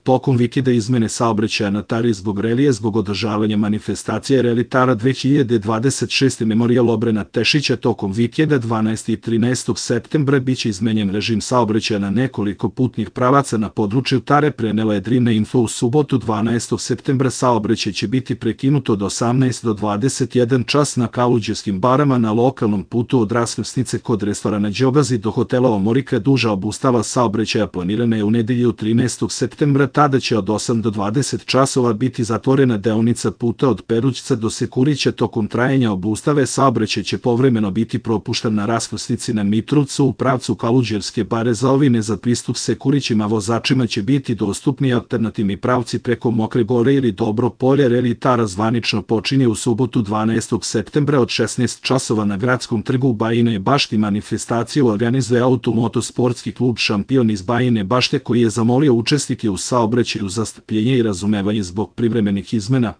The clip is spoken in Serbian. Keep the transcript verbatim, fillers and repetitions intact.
Tokom vikenda izmene saobraćaja na Tari zbog relije zbog održavanja manifestacije Reli Tara dve hiljade dvadeset šeste Memorijal Obrena Tešića tokom vikenda dvanaestog i trinaestog septembra biće izmenjen režim saobraćaja na nekoliko putnih pravaca na području Tare, prenela je Drina Info. U subotu dvanaestog septembra saobraćaj će biti prekinut od osamnaest do dvadeset jedan čas na Kaluđerskim barama na lokalnom putu od raskrsnice kod restorana Đogazi do hotela Omorika. Duža obustava saobraćaja planirana je u nedelju trinaestog septembra, tada će od osam do dvadeset časova biti zatvorena deonica puta od Perućca do Sekurića. Tokom trajanja obustave saobraćaj će povremeno biti propušten na raskrsnici na Mitrovcu u pravcu Kaluđerske bare. Za ovine za pristup Sekurićima vozačima će biti dostupni alternativni pravci preko Mokre gore ili Dobro polje. Reli Tara zvanično počinje u subotu dvanaestog septembra od šesnaest časova na Gradskom trgu u Bajinoj Bašti. Manifestaciju organizuje Automotosportski klub Šampion iz Bajine Bašte, koji je zamolio učesnike u saobraćaju za strpljenje i razumevanje zbog privremenih izmena.